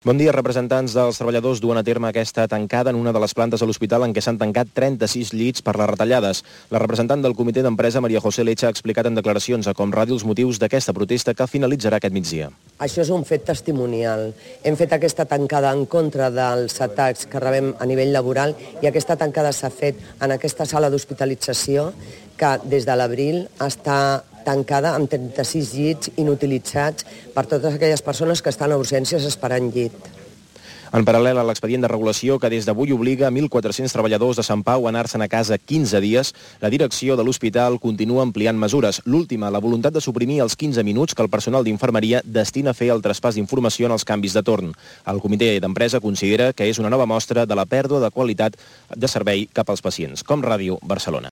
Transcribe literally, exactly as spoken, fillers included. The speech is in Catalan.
Bon dia. Representants dels treballadors duen a terme aquesta tancada en una de les plantes de l'hospital en què s'han tancat trenta-sis llits per les retallades. La representant del comitè d'empresa, Maria José Lecha, ha explicat en declaracions a Com Ràdio els motius d'aquesta protesta que finalitzarà aquest migdia. Això és un fet testimonial. Hem fet aquesta tancada en contra dels atacs que rebem a nivell laboral i aquesta tancada s'ha fet en aquesta sala d'hospitalització que des de l'abril està tancada amb trenta-sis llits inutilitzats per totes aquelles persones que estan a urgències esperant llit. En paral·lel a l'expedient de regulació que des d'avui obliga mil quatre-cents treballadors de Sant Pau a anar-se'n a casa quinze dies, la direcció de l'hospital continua ampliant mesures. L'última, la voluntat de suprimir els quinze minuts que el personal d'infermeria destina a fer el traspàs d'informació en els canvis de torn. El comitè d'empresa considera que és una nova mostra de la pèrdua de qualitat de servei cap als pacients. Com Ràdio, Barcelona.